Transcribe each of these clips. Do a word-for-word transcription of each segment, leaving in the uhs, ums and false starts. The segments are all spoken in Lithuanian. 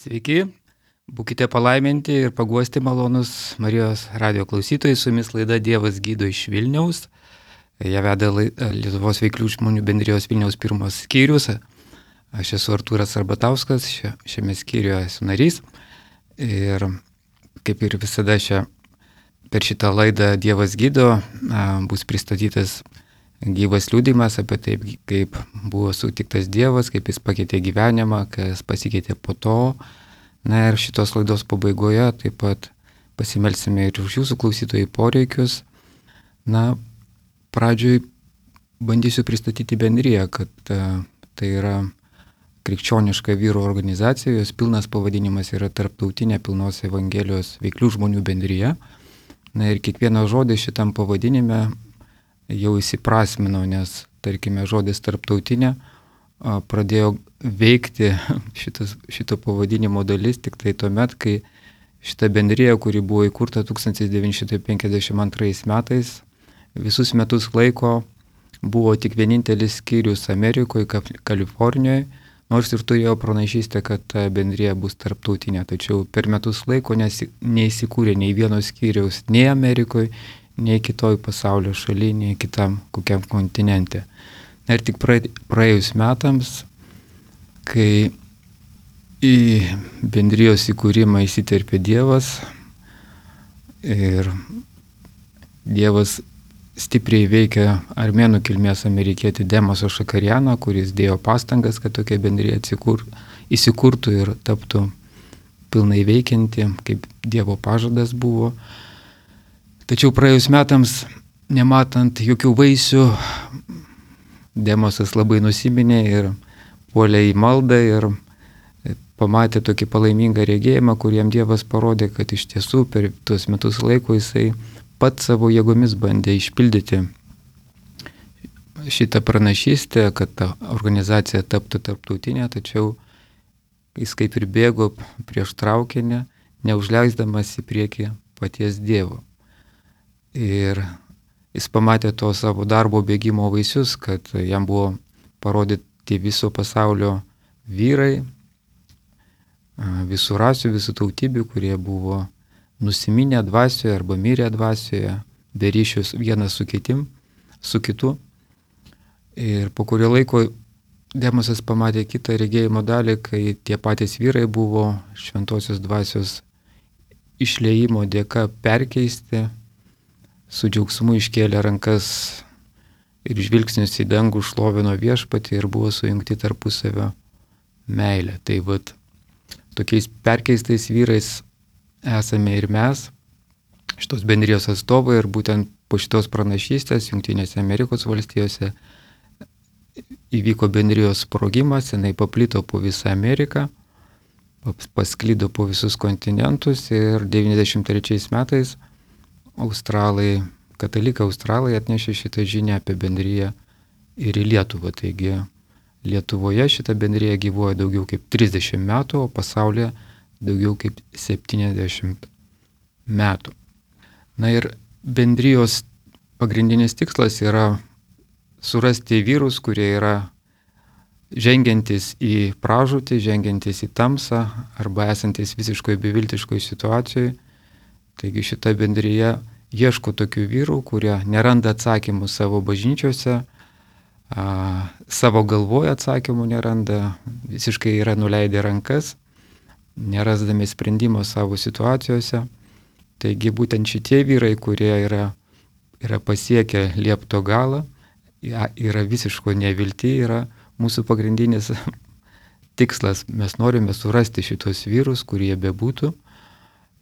Sveiki, būkite palaiminti ir paguosti malonus Marijos radio klausytojai, su jumis laida Dievas gydo iš Vilniaus. Ją veda Lietuvos veiklių žmonių bendrijos Vilniaus pirmos skyrius. Aš esu Artūras Arbatauskas, šiame skyriuje esu narys. Ir kaip ir visada šia, per šitą laidą Dievas gydo bus pristatytas gyvas liudijimas apie taip, kaip buvo sutiktas Dievas, kaip jis pakeitė gyvenimą, kas pasikeitė po to. Na ir šitos laidos pabaigoje taip pat pasimelsime ir už jūsų klausytojų poreikius. Na, pradžioj bandysiu pristatyti bendriją, kad uh, tai yra krikščioniška vyrų organizacija, jos pilnas pavadinimas yra Tarptautinė pilnos evangelijos veiklių žmonių bendrija. Na ir kiekvieną žodį šitam pavadinime jau įsiprasmino, nes, tarkime, žodis tarptautinė uh, pradėjo veikti šitas, šito pavadinimo dalis tik tai tuomet, kai šita bendrija, kuri buvo įkurta tūkstantis devyni šimtai penkiasdešimt antrais metais, visus metus laiko buvo tik vienintelis skyrius Amerikoje, Kalifornijoje, nors ir turėjo pranašystę, kad ta bendrija bus tarptautinė. Tačiau per metus laiko nesi, neįsikūrė nei vieno skyriaus nei Amerikoje, nei kitoj pasaulio šaly, nei kitam kokiam kontinente. Ir tik praėjus metams, kai į bendrijos įkūrimą įsiterpė Dievas ir Dievas stipriai veikia armėnų kilmės amerikietį Demosą Šakarianą, kuris dėjo pastangas, kad tokia bendrija atsikur, įsikurtų ir taptų pilnai veikianti, kaip Dievo pažadas buvo. Tačiau praėjus metams, nematant jokių vaisių, Demosas labai nusiminė ir puolė į maldą ir pamatė tokį palaimingą regėjimą, kuriem Dievas parodė, kad iš tiesų per tuos metus laiko jisai pats savo jėgomis bandė išpildyti šitą pranašystę, kad ta organizacija taptų tarptautinė, tačiau jis kaip ir bėgo prieš traukinį, neužleisdamas į priekį paties Dievo. Ir jis pamatė to savo darbo bėgimo vaisius, kad jam buvo parodyti viso pasaulio vyrai, visų rasių, visų tautybių, kurie buvo nusiminę dvasioje arba mirę dvasioje, be ryšius vienas su kitim, su kitu. Ir po kurio laiko Demosas pamatė kitą regėjimo dalį, kai tie patys vyrai buvo šventosios dvasios išliejimo dėka perkeisti, su džiaugsmu iškėlė rankas ir žvilgsnius į dangų šlovino viešpatį ir buvo sujungti tarpusavio meilė. Tai vat, tokiais perkeistais vyrais esame ir mes, šitos bendrijos atstovai, ir būtent po šitos pranašystės Jungtinėse Amerikos valstijose įvyko bendrijos sprogimas, jinai paplito po visą Ameriką, pasklido po visus kontinentus ir devyniasdešimt trečiais metais australai, katalikai australai atnešė šitą žinią apie bendriją ir į Lietuvą. Taigi Lietuvoje šita bendrija gyvuoja daugiau kaip trisdešimt metų, o pasaulyje daugiau kaip septyniasdešimt metų. Na ir bendrijos pagrindinis tikslas yra surasti vyrus, kurie yra žengiantis į pražūtį, žengiantis į tamsą arba esantis visiškoje beviltiškoje situacijoje. Taigi šita bendrija ieško tokių vyrų, kurie neranda atsakymų savo bažnyčiose, a, savo galvoje atsakymų neranda, visiškai yra nuleidę rankas, nerasdami sprendimo savo situacijose. Taigi būtent šitie vyrai, kurie yra, yra pasiekę liepto galą, yra visiško nevilti, yra mūsų pagrindinis tikslas. Mes norime surasti šitos vyrus, kurie bebūtų,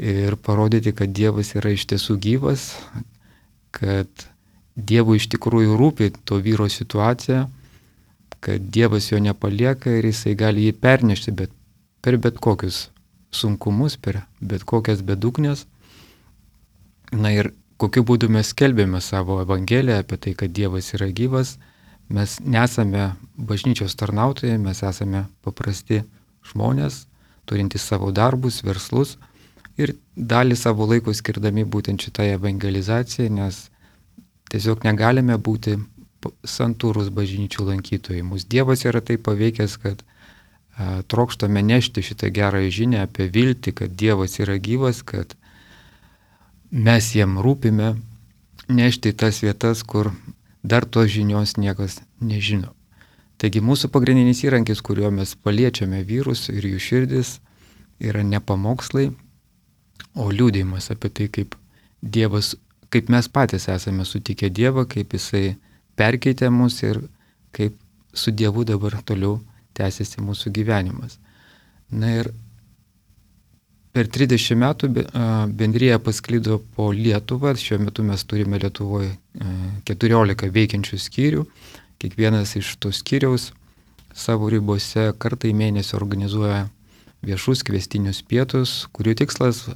ir parodyti, kad Dievas yra iš tiesų gyvas, kad Dievui iš tikrųjų rūpi to vyro situacija, kad Dievas jo nepalieka ir jisai gali jį pernešti bet, per bet kokius sunkumus, per bet kokias bedugnės. Na ir kokiu būdu mes skelbėme savo evangeliją apie tai, kad Dievas yra gyvas. Mes nesame bažnyčios tarnautojai, mes esame paprasti žmonės, turintys savo darbus, verslus ir dalį savo laiko skirdami būtent šitai evangelizacijai, nes tiesiog negalime būti santūrus bažnyčių lankytojai. Mūsų Dievas yra taip paveikęs, kad trokštame nešti šitą gerąją žinią apie viltį, kad Dievas yra gyvas, kad mes jam rūpime, nešti į tas vietas, kur dar tos žinios niekas nežino. Taigi mūsų pagrindinis įrankis, kuriuo mes paliečiame vyrus ir jų širdis, yra ne pamokslai, o liūdėjimas apie tai, kaip Dievas, kaip mes patys esame sutikę Dievą, kaip Jisai perkeitė mus ir kaip su Dievu dabar toliau tęsiasi mūsų gyvenimas. Na ir per trisdešimt metų bendrija pasklido po Lietuvą. Šiuo metu mes turime Lietuvoje keturiolika veikiančių skyrių. Kiekvienas iš tų skyriaus savo ribose kartą į mėnesį organizuoja viešus kviestinius pietus, kurių tikslas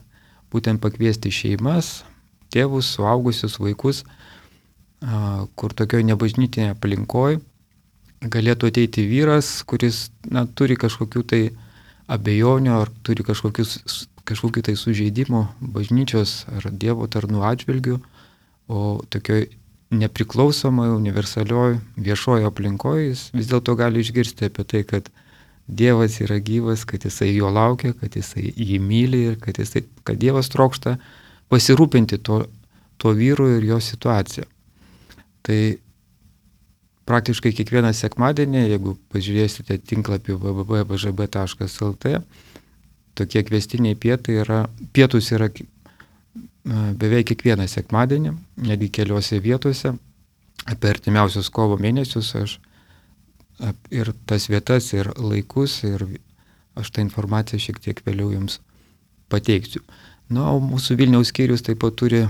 būtent pakviesti šeimas, tėvus, suaugusius vaikus, kur tokioj nebažnytinėje aplinkoje galėtų ateiti vyras, kuris na, turi kažkokių tai abejonių ar turi kažkokius, kažkokių tai sužeidimų bažnyčios ar Dievo tarnų atžvilgių, o tokioj nepriklausomai, universalioj, viešojo aplinkoje jis vis dėlto gali išgirsti apie tai, kad Dievas yra gyvas, kad Jisai jo laukia, kad Jisai jį myli ir kad, jisai, kad Dievas trokšta pasirūpinti to, to vyru ir jo situaciją. Tai praktiškai kiekvieną sekmadienį, jeigu pažiūrėsite tinklapį w w w taškas b ž b taškas l t, tokie kviestiniai pietai yra, pietus yra beveik kiekvieną sekmadienį, netgi keliose vietose. Apie artimiausius kovo mėnesius aš ir tas vietas, ir laikus, ir aš tą informaciją šiek tiek vėliau jums pateiksiu. Na, o mūsų Vilniaus skyrius taip pat turi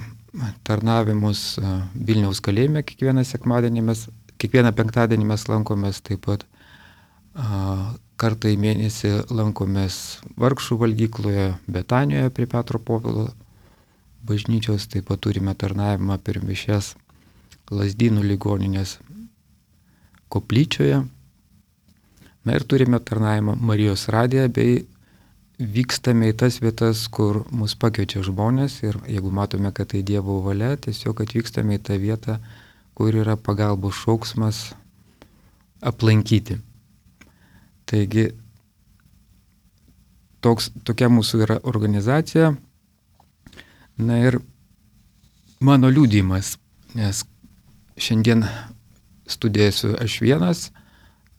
tarnavimus Vilniaus kalėjime. Kiekvieną sekmadienį mes, kiekvieną penktadienį mes lankomės, taip pat kartą į mėnesį lankomės Vargšų valgykloje Betanijoje prie Petro Povilo bažnyčios, taip pat turime tarnavimą per mišias Lazdynų ligoninės koplyčioje. Na ir turime tarnavimą Marijos radiją, bei vykstame į tas vietas, kur mus pakviečia žmonės ir jeigu matome, kad tai Dievo valia, tiesiog atvykstame į tą vietą, kur yra pagalbos šauksmas aplankyti. Taigi, toks, tokia mūsų yra organizacija. Na ir mano liudijimas, nes šiandien studijosiu aš vienas,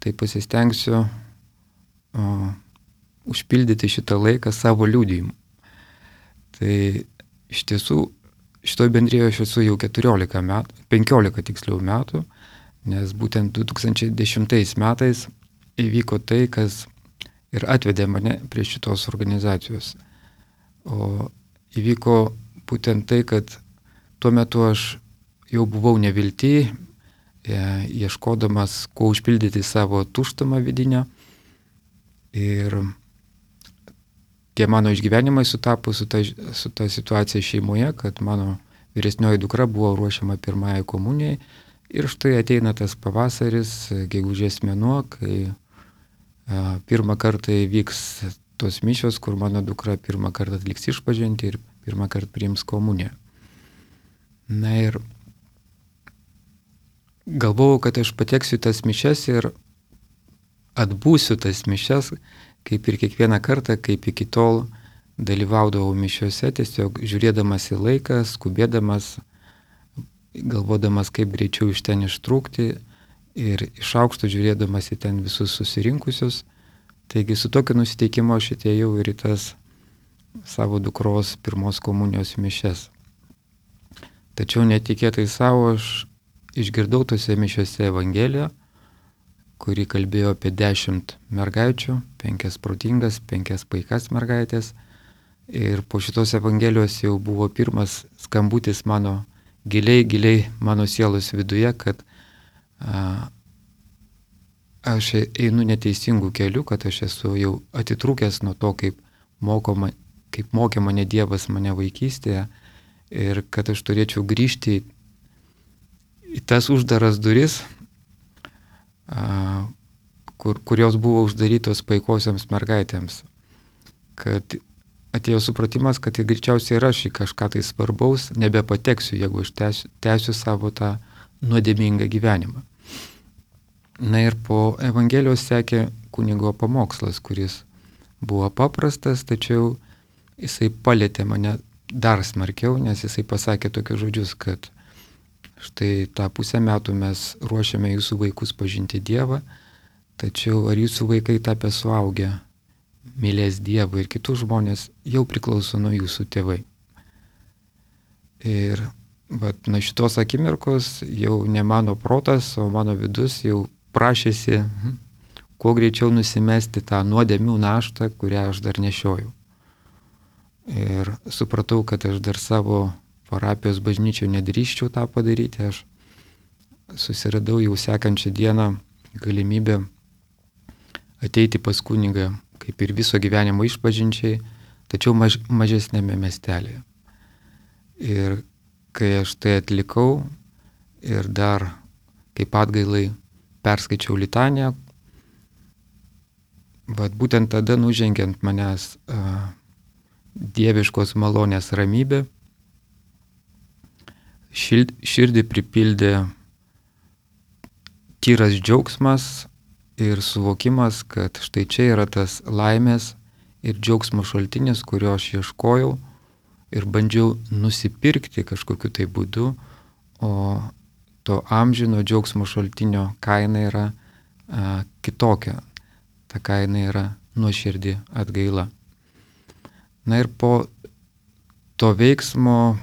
tai pasistengsiu o, užpildyti šitą laiką savo liudijimu. Tai iš tiesų šitoj bendrijoje aš esu jau keturiolika metų, penkiolika tiksliau metų, nes būtent du tūkstančiai dešimtais metais įvyko tai, kas ir atvedė mane prie šitos organizacijos. O įvyko būtent tai, kad tuo metu aš jau buvau nevilty, ieškodamas, kuo užpildyti savo tuštumą vidinę. Ir tie mano išgyvenimai sutapo su ta, su ta situacija šeimoje, kad mano vyresnioji dukra buvo ruošiama pirmąjai komunijai. Ir štai ateina tas pavasaris, gegužės mėnuo, kai a, pirmą kartą įvyks tos mišios, kur mano dukra pirmą kartą atliks išpažintį ir pirmą kartą priims komuniją. Na ir galvojau, kad aš pateksiu tas mišias ir atbūsiu tas mišias, kaip ir kiekvieną kartą, kaip iki tol dalyvaudavau mišiuose, tiesiog žiūrėdamas į laiką, skubėdamas, galvodamas, kaip greičiau iš ten ištrūkti ir iš aukšto žiūrėdamas į ten visus susirinkusius. Taigi su tokiu nusiteikimu aš atėjau ir į tas savo dukros pirmos komunijos mišias. Tačiau netikėtai savo aš išgirdau tose mišiuose Evangeliją, kuri kalbėjo apie dešimt mergaičių, penkias protingas, penkias paikas mergaitės. Ir po šitos Evangelijos jau buvo pirmas skambutis mano giliai, giliai mano sielos viduje, kad a, aš einu neteisingų kelių, kad aš esu jau atitrūkęs nuo to, kaip, mokoma, kaip mokė mane Dievas mane vaikystėje ir kad aš turėčiau grįžti į tas uždaras duris, a, kur, kurios buvo uždarytos paikosiams mergaitėms. Kad atėjo supratimas, kad tai greičiausiai ir aš į kažką tai svarbaus nebepateksiu, jeigu aš tęsiu, tęsiu savo tą nuodėmingą gyvenimą. Na ir po Evangelijos sekė kunigo pamokslas, kuris buvo paprastas, tačiau jisai palėtė mane dar smarkiau, nes jisai pasakė tokius žodžius, kad štai tą pusę metų mes ruošiame jūsų vaikus pažinti Dievą, tačiau ar jūsų vaikai tapę suaugę mylės Dievą ir kitus žmonės, jau priklauso nuo jūsų tėvai. Ir vat, nuo šitos akimirkos jau ne mano protas, o mano vidus jau prašėsi kuo greičiau nusimesti tą nuodėmių naštą, kurią aš dar nešiojau. Ir supratau, kad aš dar savo parapijos bažnyčioje nedrįščiau tą padaryti. Aš susiradau jau sekančią dieną galimybę ateiti pas kunigą, kaip ir viso gyvenimo išpažinčiai, tačiau maž, mažesnėme miestelėje. Ir kai aš tai atlikau ir dar kaip atgailai perskaičiau litaniją, bet būtent tada nužengiant manęs uh, dieviškos malonės ramybė, šild, širdį pripildė tyras džiaugsmas ir suvokimas, kad štai čia yra tas laimės ir džiaugsmo šaltinis, kurio aš ieškojau ir bandžiau nusipirkti kažkokiu tai būdu, o to amžino džiaugsmo šaltinio kaina yra a, kitokia. Ta kaina yra nuoširdi atgaila. Na ir po to veiksmo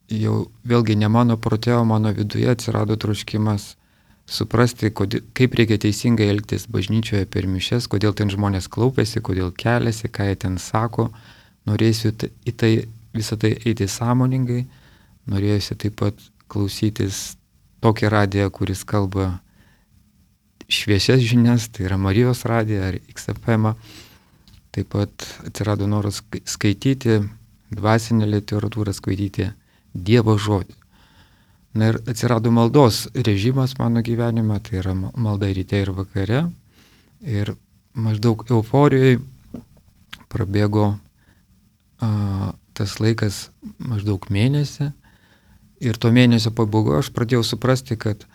jau vėlgi ne mano prote, o mano viduje atsirado troškimas suprasti, kodėl, kaip reikia teisingai elgtis bažnyčioje per mišias, kodėl ten žmonės klaupiasi, kodėl keliasi, ką jie ten sako. Norėsiu į tai, visą tai eiti sąmoningai, norėjusi taip pat klausytis tokį radiją, kuris kalba šviesias žinias, tai yra Marijos radija ar X F M. Taip pat atsirado noras skaityti dvasinę literatūrą, skaityti Dievo žodį. Na ir atsirado maldos režimas mano gyvenime, tai yra malda ryte ir vakare. Ir maždaug euforijoje prabėgo a, tas laikas maždaug mėnesį. Ir to mėnesio pabaigoje aš pradėjau suprasti, kad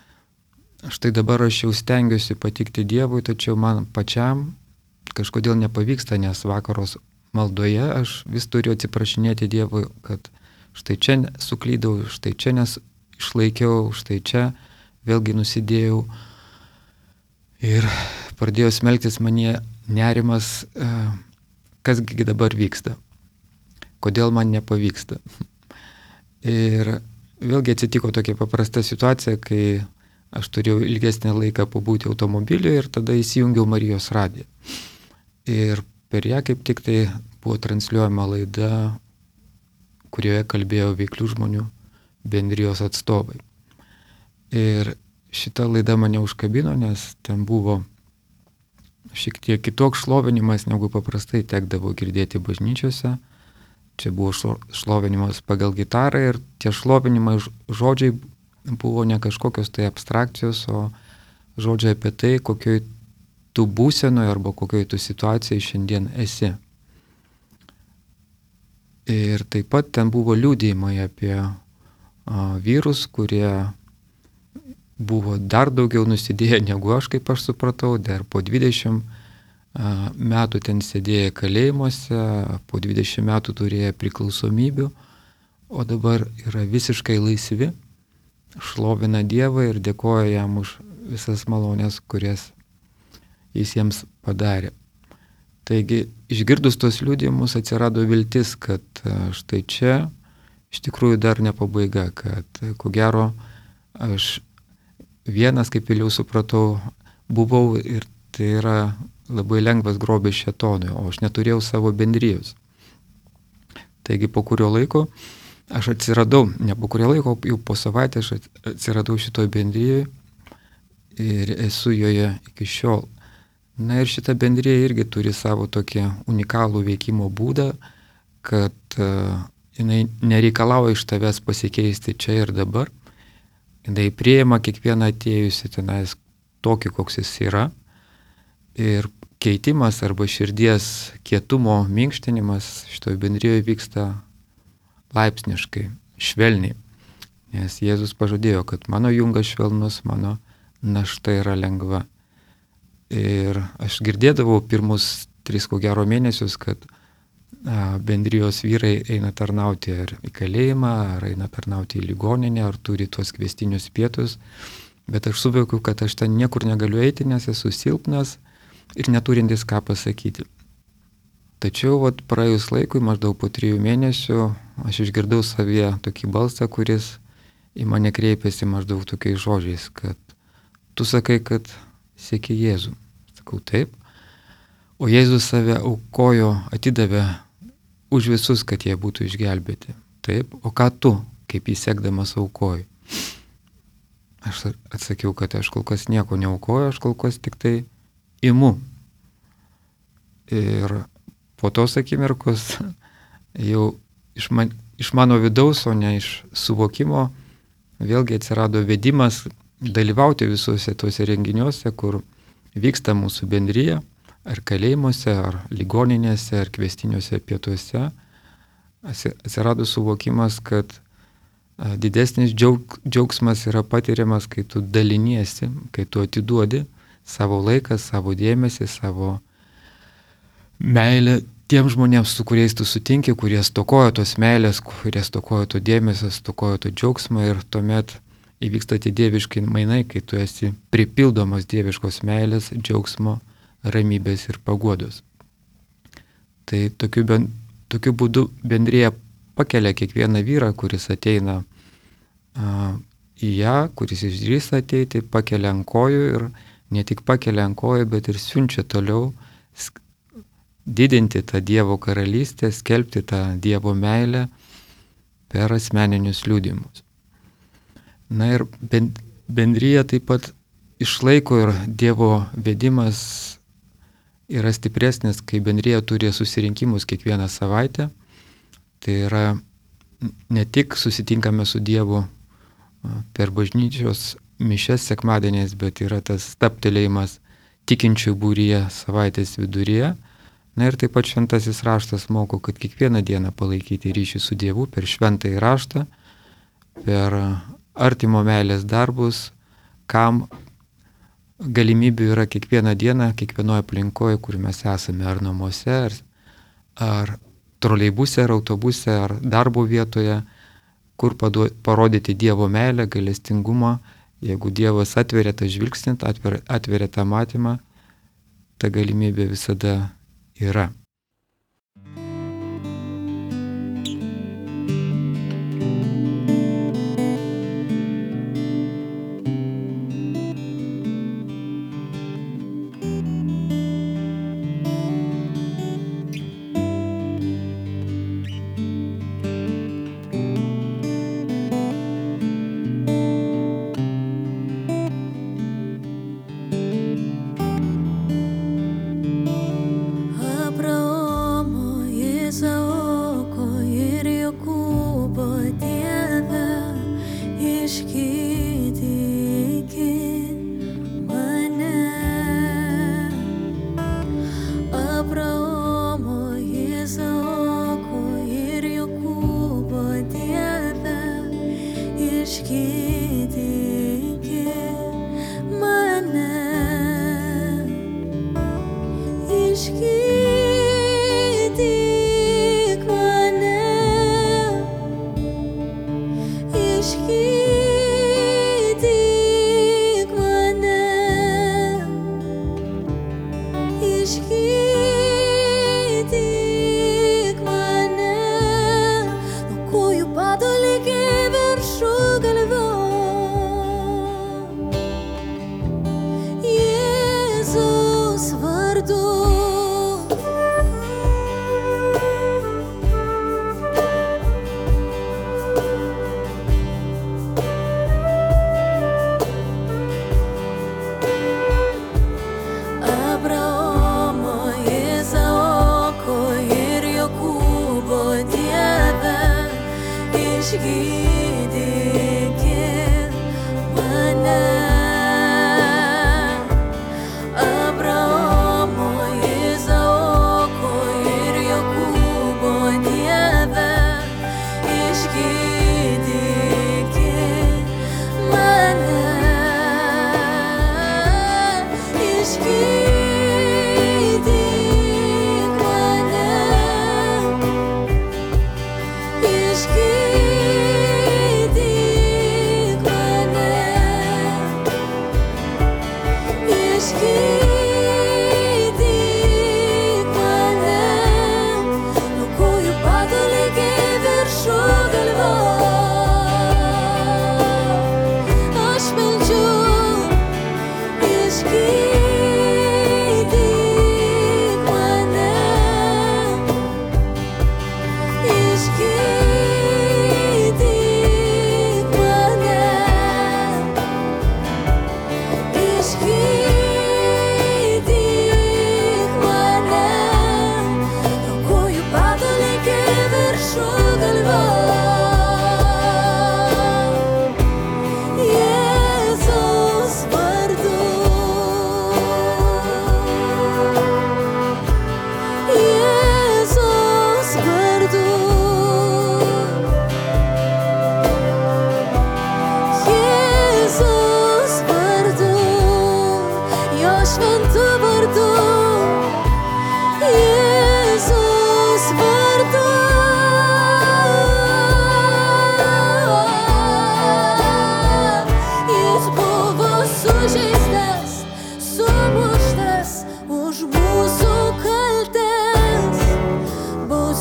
štai dabar aš jau stengiuosi patikti Dievui, tačiau man pačiam kažkodėl nepavyksta, nes vakaros maldoje aš vis turiu atsiprašinėti Dievui, kad štai čia suklydau, štai čia neišlaikiau, štai čia vėlgi nusidėjau. Ir pradėjo smelktis manie nerimas, kasgi dabar vyksta, kodėl man nepavyksta. Ir vėlgi atsitiko tokia paprasta situacija, kai aš turėjau ilgesnį laiką pabūti automobiliu ir tada įsijungiau Marijos radiją. Ir per ją kaip tik tai buvo transliuojama laida, kurioje kalbėjo veiklių žmonių bendrijos atstovai. Ir šita laida mane užkabino, nes ten buvo šiek tiek kitoks šlovinimas, negu paprastai tekdavo girdėti bažnyčiose. Čia buvo šlovinimas pagal gitarą ir tie šlovinimai žodžiai buvo ne kažkokios tai abstrakcijos, o žodžiai apie tai, kokioj tu būsenoje arba kokioj tu situacijai šiandien esi. Ir taip pat ten buvo liudijimai apie a, vyrus, kurie buvo dar daugiau nusidėję negu aš, kaip aš supratau, dar po dvidešimt metų ten sėdėjo kalėjimuose, po dvidešimt metų turėjo priklausomybių, o dabar yra visiškai laisvi, šlovina Dievą ir dėkoja jam už visas malonės, kurias jis jiems padarė. Taigi, išgirdus tos liudijimus atsirado viltis, kad štai čia iš tikrųjų dar ne pabaiga, kad ko gero aš vienas, kaip vėliau supratau, buvau ir tai yra labai lengvas grobis šėtonui, o aš neturėjau savo bendrijos. Taigi po kurio laiko aš atsiradau, ne po kurio laiko, jau po savaitės aš atsiradau šitoj bendrijoje ir esu joje iki šiol. Na ir šita bendrija irgi turi savo tokį unikalų veikimo būdą, kad uh, jinai nereikalauja iš tavęs pasikeisti čia ir dabar. Jinai priima kiekvieną atėjusi tenais tokį, koks jis yra. Ir keitimas arba širdies kietumo minkštinimas šitoje bendrijoje vyksta laipsniškai, švelniai. Nes Jėzus pažadėjo, kad mano jungas švelnus, mano našta yra lengva. Ir aš girdėdavau pirmus tris ko gero mėnesius, kad a, bendrijos vyrai eina tarnauti ar į kalėjimą, ar eina tarnauti į ligoninę, ar turi tuos kviestinius pietus. Bet aš suvokiu, kad aš ten niekur negaliu eiti, nes esu silpnas ir neturintis ką pasakyti. Tačiau vat, praėjus laikui, maždaug po trijų mėnesių, aš išgirdau savyje tokį balsą, kuris į mane kreipėsi maždaug tokiais žodžiais, kad tu sakai, kad seki Jėzų. Sakau, taip. O Jėzus save aukojo, atidavė už visus, kad jie būtų išgelbėti. Taip. O ką tu, kaip jį sekdamas, aukoji? Aš atsakiau, kad aš kol kas nieko neaukoju, aš kol kas tik tai imu. Ir po tos akimirkos jau iš, man, iš mano vidaus, o ne iš suvokimo, vėlgi atsirado vedimas dalyvauti visuose tuose renginiuose, kur vyksta mūsų bendrija, ar kalėjimuose, ar ligoninėse, ar kviestiniuose pietuose. Atsirado suvokimas, kad didesnis džiaug, džiaugsmas yra patiriamas, kai tu daliniesi, kai tu atiduodi savo laiką, savo dėmesį, savo meilę tiem žmonėms, su kuriais tu sutinki, kurie stokojo tos meilės, kurie stokojo to dėmesio, stokojo to džiaugsmo, ir tuomet įvyksta tie dieviški mainai, kai tu esi pripildomas dieviškos meilės, džiaugsmo, ramybės ir paguodos. Tai tokiu, ben, tokiu būdu bendrija pakelia kiekvieną vyrą, kuris ateina a, į ją, kuris išdrįsta ateiti, pakelia ant kojų, ir ne tik pakelia ant kojų, bet ir siunčia toliau didinti tą Dievo karalystę, skelbti tą Dievo meilę per asmeninius liudimus. Na ir bendrija taip pat išlaiko, ir Dievo vedimas yra stipresnis, kai bendrija turi susirinkimus kiekvieną savaitę. Tai yra ne tik susitinkame su Dievu per bažnyčios mišias sekmadieniais, bet yra tas stabtelėjimas tikinčių būryje savaitės viduryje. Na ir taip pat šventasis raštas moko, kad kiekvieną dieną palaikyti ryšį su Dievu per šventąjį raštą, per artimo meilės darbus, kam galimybių yra kiekvieną dieną, kiekvienoje aplinkoje, kur mes esame, ar namuose, ar, ar troleibuse, ar autobuse, ar darbo vietoje, kur padu, parodyti Dievo meilę, gailestingumą. Jeigu Dievas atveria tą žvilgsnį, atveria, atveria tą matymą, ta galimybė visada yra. Išgydyk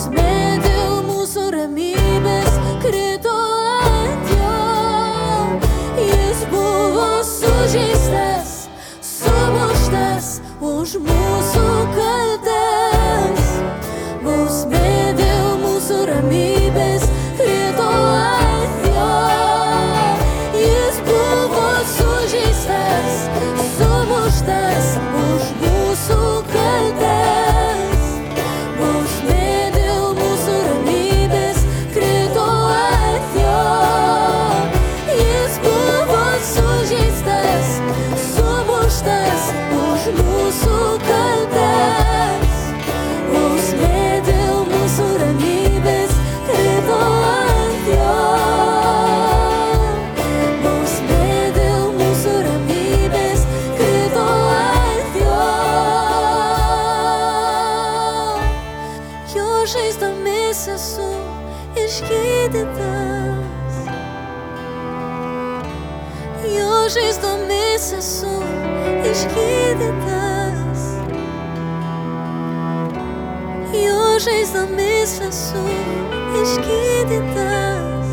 bausmė dėl mūsų ramybės krito ant jo. Jis buvo sužeistas, sumuštas už mūsų kaltes. Bausmė dėl mūsų ramybės krito ant jo. Jis buvo sužeistas, sumuštas už mūsų kaltes. Bausmė dėl mūsų ramybės krito ant jo. Jis buvo sužeistas, sumuštas už mūsų kaltes. Bausmė dėl mūsų ramybės krito ant jo. Bausmė dėl mūsų ramybės krito ant jo. Jo žaizdomis esu išgydytas. Jo žaizdomis esu išgydytas. Jo žaizdomis esu išgydytas.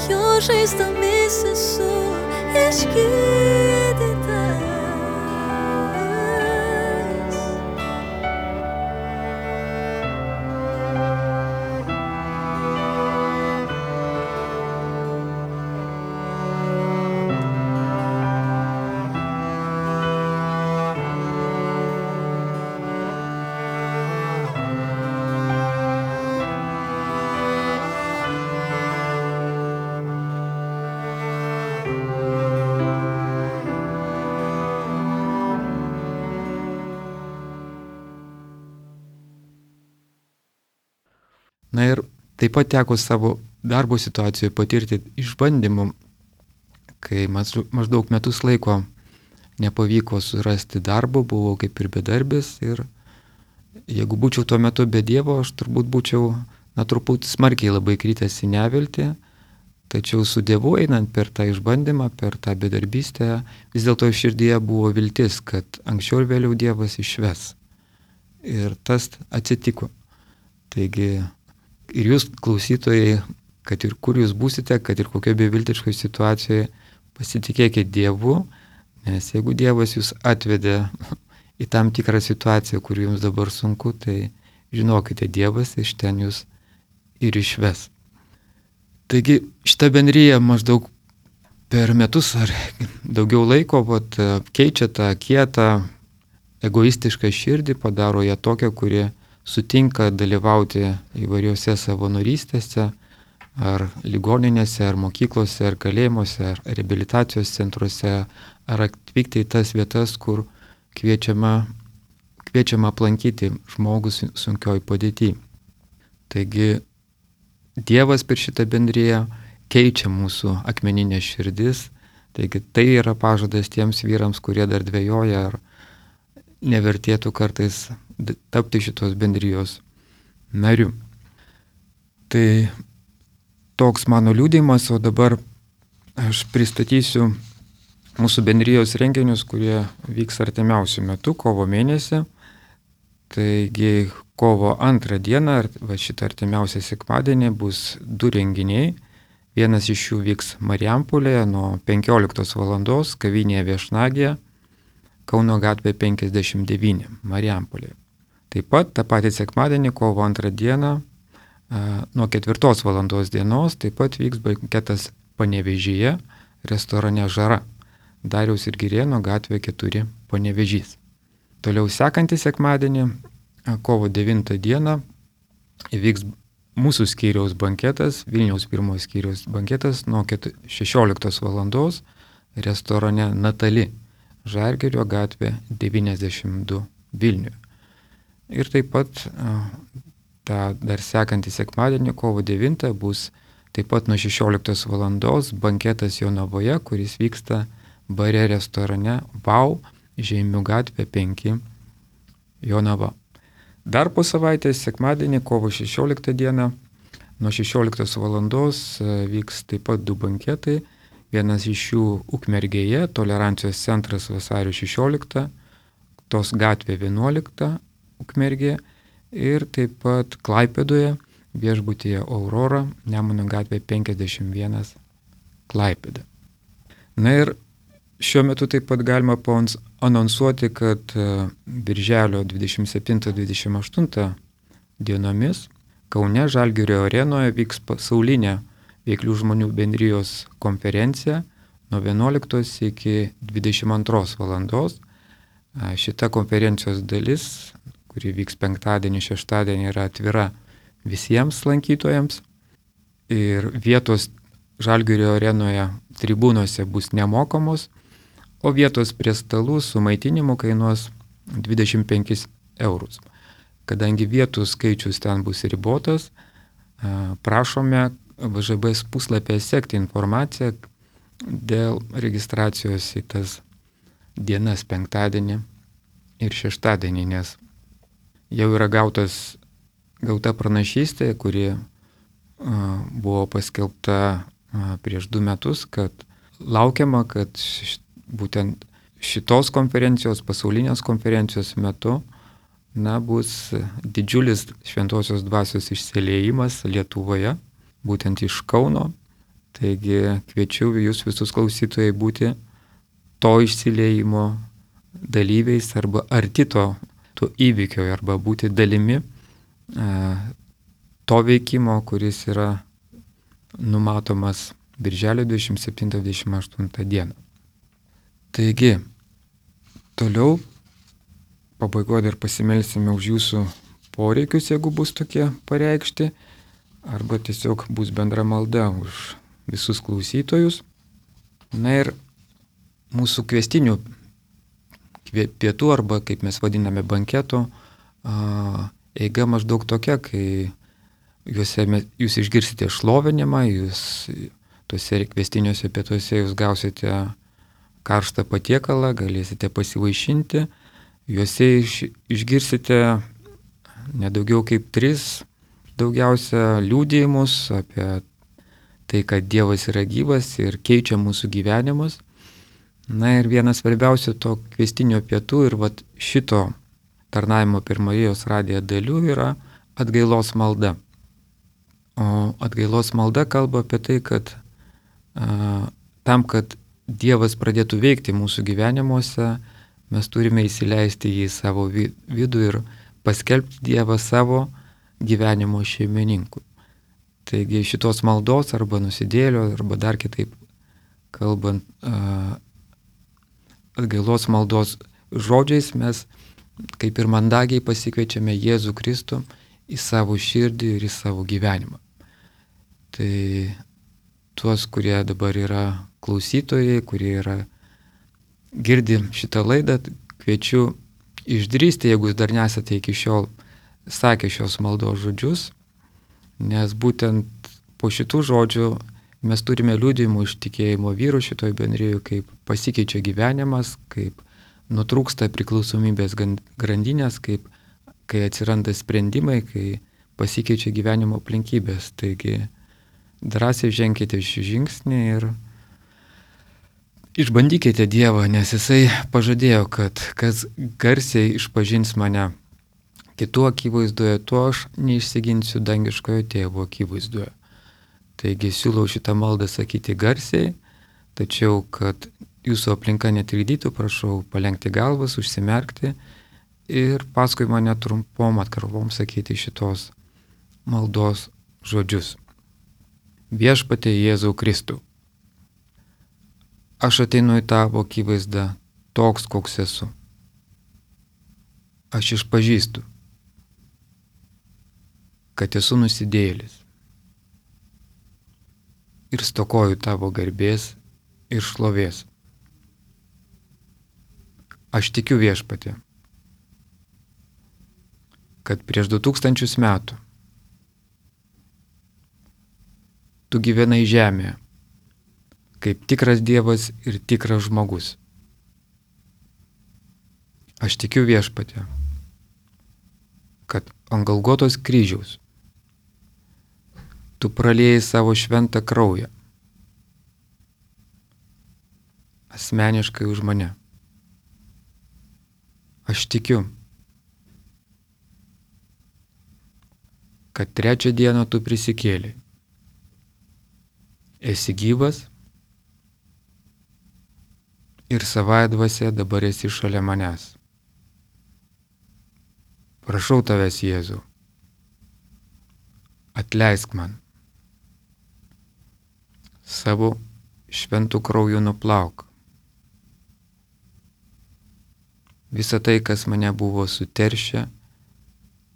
Jo žaizdomis esu išgydytas. Na ir taip pat teko savo darbo situacijoje patirti išbandymų, kai maždaug metus laiko nepavyko surasti darbo, buvau kaip ir bedarbis ir jeigu būčiau tuo metu be Dievo, aš turbūt būčiau, na, truputį smarkiai labai kritęs į neviltį, tačiau su Dievu einant per tą išbandymą, per tą bedarbystę, vis dėlto širdyje buvo viltis, kad anksčiau ir vėliau Dievas išves. Ir tas atsitiko. Taigi, ir jūs, klausytojai, kad ir kur jūs būsite, kad ir kokioje beviltiškoje situacijoje, pasitikėkite Dievu, nes jeigu Dievas jūs atvedė į tam tikrą situaciją, kur jums dabar sunku, tai žinokite, Dievas iš ten jūs ir išves. Taigi šita bendryja maždaug per metus ar daugiau laiko vat, keičia tą kietą, egoistišką širdį, padaro ją tokią, kuri sutinka dalyvauti įvairiuose savanorystėse, ar ligoninėse, ar mokyklose, ar kalėjimuose, ar reabilitacijos centruose, ar atvykti į tas vietas, kur kviečiama, kviečiama aplankyti žmogus sunkioj padėty. Taigi Dievas per šitą bendriją keičia mūsų akmeninės širdis, taigi tai yra pažadas tiems vyrams, kurie dar dvejoja, ar nevertėtų kartais tapti šitos bendrijos nariu. Tai toks mano liudijimas, o dabar aš pristatysiu mūsų bendrijos renginius, kurie vyks artimiausių metų, kovo mėnesį. Taigi kovo antrą dieną, va šitą artimiausią sekmadienį, bus du renginiai. Vienas iš jų vyks Marijampolėje nuo penkioliktos valandos, kavinėje Viešnagėje, Kauno gatvė penkiasdešimt devyni, Marijampolėje. Taip pat tą patį sekmadienį, kovo antrą dieną, nuo ketvirtos valandos dienos, taip pat vyks banketas Panevėžyje, restorane Žara, Dariaus ir Girėno gatvė keturi, Panevėžys. Toliau sekantį sekmadienį, kovo devintą dieną, įvyks mūsų skyriaus banketas, Vilniaus pirmojo skyriaus banketas nuo šešioliktos valandos restorane Natali, Žalgirio gatvė devyniasdešimt du, Vilniuje. Ir taip pat tą dar sekantį sekmadienį, kovo devintą, bus taip pat nuo šešioliktos valandos banketas Jonavoje, kuris vyksta bare restorane Vau, Žeimių gatvė penki, Jonava. Dar po savaitės sekmadienį, kovo šešioliktą dieną, nuo šešioliktos valandos vyks taip pat du banketai. Vienas iš jų Ukmergėje, Tolerancijos centras Vasario šešioliktą, tos gatvė vienuolikta Ukmergė ir taip pat Klaipėdoje viešbutyje Aurora, Nemuno gatvė penkiasdešimt vienas Klaipėda. Na ir šiuo metu taip pat galima anonsuoti, kad birželio dvidešimt septintą dvidešimt aštuntą dienomis Kaune Žalgirio arenoje vyks pasaulinė veiklių žmonių bendrijos konferencija nuo vienuoliktos iki dvidešimt antros valandos. Šita konferencijos dalis, kuri vyks penktadienį, šeštadienį, yra atvira visiems lankytojams ir vietos Žalgirio arenoje tribūnose bus nemokamos, o vietos prie stalų su maitinimu kainuos dvidešimt penkis eurus. Kadangi vietų skaičius ten bus ribotas, prašome V Ž B puslapyje sekti informaciją dėl registracijos į tas dienas penktadienį ir šeštadienį, nes jau yra gautas, gauta pranašystė, kuri a, buvo paskelbta a, prieš du metus, kad laukiama, kad š, būtent šitos konferencijos, pasaulinės konferencijos metu na, bus didžiulis šventosios dvasios išsiliejimas Lietuvoje, būtent iš Kauno. Taigi kviečiu jūs visus klausytojai būti to išsiliejimo dalyviais arba arti to, to įvykio arba būti dalimi a, to veikimo, kuris yra numatomas birželio dvidešimt septintą dvidešimt aštuntą dieną. Taigi, toliau pabaigoje dar pasimelsime už jūsų poreikius, jeigu bus tokie pareikšti, arba tiesiog bus bendra malda už visus klausytojus. Na ir mūsų kviestinių pietų, arba kaip mes vadiname banketo, eiga maždaug tokia, kai juose jūs išgirsite šlovinimą, jūs tuose kviestiniuose pietuose jūs gausite karštą patiekalą, galėsite pasivaišinti, juose iš, išgirsite nedaugiau kaip tris daugiausia liudijimus apie tai, kad Dievas yra gyvas ir keičia mūsų gyvenimus. Na ir vienas svarbiausių to kviestinio pietų ir vat šito tarnavimo per Marijos radiją dalių yra atgailos malda. O atgailos malda kalba apie tai, kad a, tam, kad Dievas pradėtų veikti mūsų gyvenimuose, mes turime įsileisti jį į savo vidų ir paskelbti Dievą savo gyvenimo šeimininkui. Taigi šitos maldos arba nusidėlio, arba dar kitaip kalbant, atgailos maldos žodžiais mes kaip ir mandagiai pasikviečiame Jėzų Kristų į savo širdį ir į savo gyvenimą. Tai tuos, kurie dabar yra klausytojai, kurie yra girdi šitą laidą, kviečiu išdrįsti, jeigu jūs dar nesate iki šiol sakę šios maldos žodžius, nes būtent po šitų žodžių mes turime liudijimų iš tikėjimo vyrų šitoj bendrijoj, kaip pasikeičia gyvenimas, kaip nutrūksta priklausomybės grandinės, kaip kai atsiranda sprendimai, kai pasikeičia gyvenimo aplinkybės. Taigi drąsiai ženkite šį žingsnį ir išbandykite Dievą, nes Jisai pažadėjo, kad kas garsiai išpažins mane kitų akivaizdoje, tuo aš neišsiginsiu dangiškojo tėvo akivaizdoje. Taigi siūlau šitą maldą sakyti garsiai, tačiau, kad jūsų aplinka netrikdytų, prašau palenkti galvas, užsimerkti ir paskui mane trumpom atkarpom sakyti šitos maldos žodžius. Viešpatie Jėzau Kristų, aš ateinu į tavo akivaizdą toks, koks esu. Aš išpažįstu, kad esu nusidėjėlis ir stokoju tavo garbės ir šlovės. Aš tikiu, Viešpatie, kad prieš du tūkstančius metų tu gyvenai žemėje kaip tikras Dievas ir tikras žmogus. Aš tikiu, Viešpatie, kad ant Golgotos kryžiaus tu praliejai savo šventą kraują asmeniškai už mane. Aš tikiu, kad trečią dieną tu prisikėlei. Esi gyvas ir savąja dvasia dabar esi šalia manęs. Prašau tavęs, Jėzau, atleisk man. Savo šventų krauju nuplauk visą tai, kas mane buvo suteršę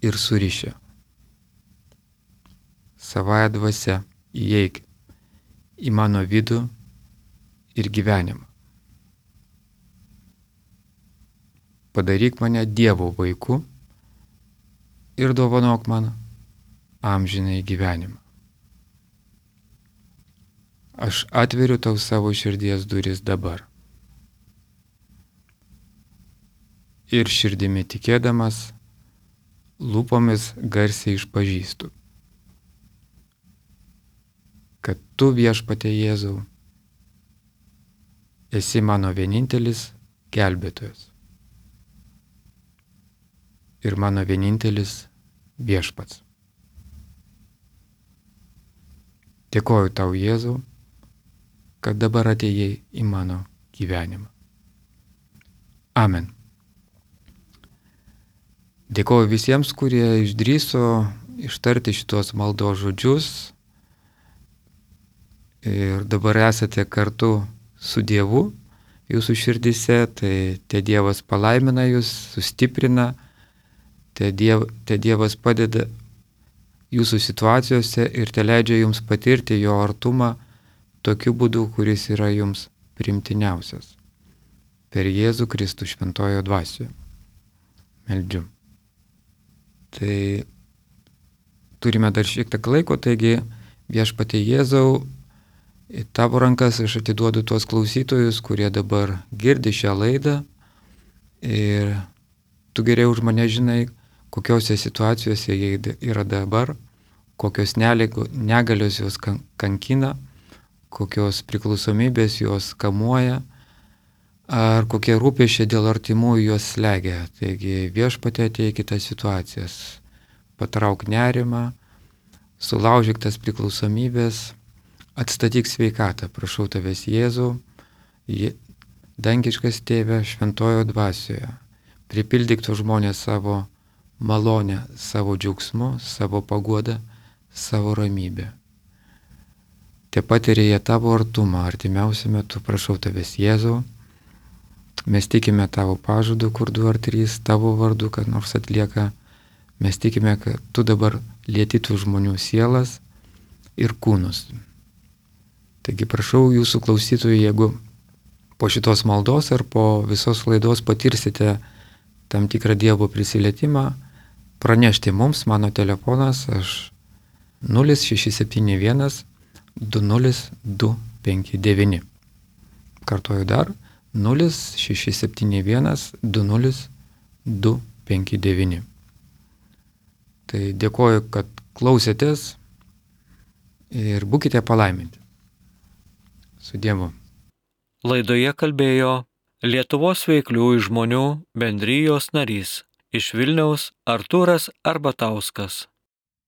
ir surišę. Savąja dvasia įeik į mano vidų ir gyvenimą. Padaryk mane Dievo vaiku ir dovanok man amžinai gyvenimą. Aš atveriu tau savo širdies duris dabar. Ir širdimi tikėdamas, lūpomis garsiai išpažįstu, kad tu, viešpatie Jėzau, esi mano vienintelis gelbėtojas ir mano vienintelis viešpats. Dėkoju tau, Jėzau, kad dabar atėjai į mano gyvenimą. Amen. Dėkoju visiems, kurie išdrįso ištarti šitos maldos žodžius ir dabar esate kartu su Dievu jūsų širdise, tai te Dievas palaimina jūs, sustiprina, te, diev, te Dievas padeda jūsų situacijose ir te leidžia jums patirti jo artumą tokiu būdu, kuris yra jums primtiniausias. Per Jėzų Kristų šventojo dvasioje. Meldžiu. Tai turime dar šiek tiek laiko, taigi viešpatie Jėzau, į tavo rankas aš atiduodu tuos klausytojus, kurie dabar girdi šią laidą ir tu geriau už mane žinai, kokiose situacijose jie yra dabar, kokios negalios juos kankina, kokios priklausomybės juos kamuoja, ar kokie rūpesčiai dėl artimųjų juos slegia. Taigi viešpatie ateik į tas situacijas, patrauk nerimą, sulaužyk tas priklausomybės, atstatyk sveikatą, prašau tavęs Jėzau, dangiškas Tėve šventojo dvasioje, pripildyk to žmonės savo malonę, savo džiaugsmu, savo paguodą, savo ramybę. Te patiria jie tavo artumą artimiausiu metu, prašau tavęs Jėzau, mes tikime tavo pažadu, kur du ar trys tavo vardu, kad nors atlieka, mes tikime, kad tu dabar lieti tų žmonių sielas ir kūnus. Taigi prašau jūsų klausytojų, jeigu po šitos maldos ar po visos laidos patirsite tam tikrą Dievo prisilietimą, pranešti mums, mano telefonas, aš nulis šeši septyni vienas du nulis du penki devyni. Kartuoju dar, nulis šeši septyni vienas du nulis du penki devyni. Tai dėkoju, kad klausėtės ir būkite palaiminti. Su Dievu. Laidoje kalbėjo Lietuvos veikliųjų žmonių bendrijos narys iš Vilniaus Artūras Arbatauskas.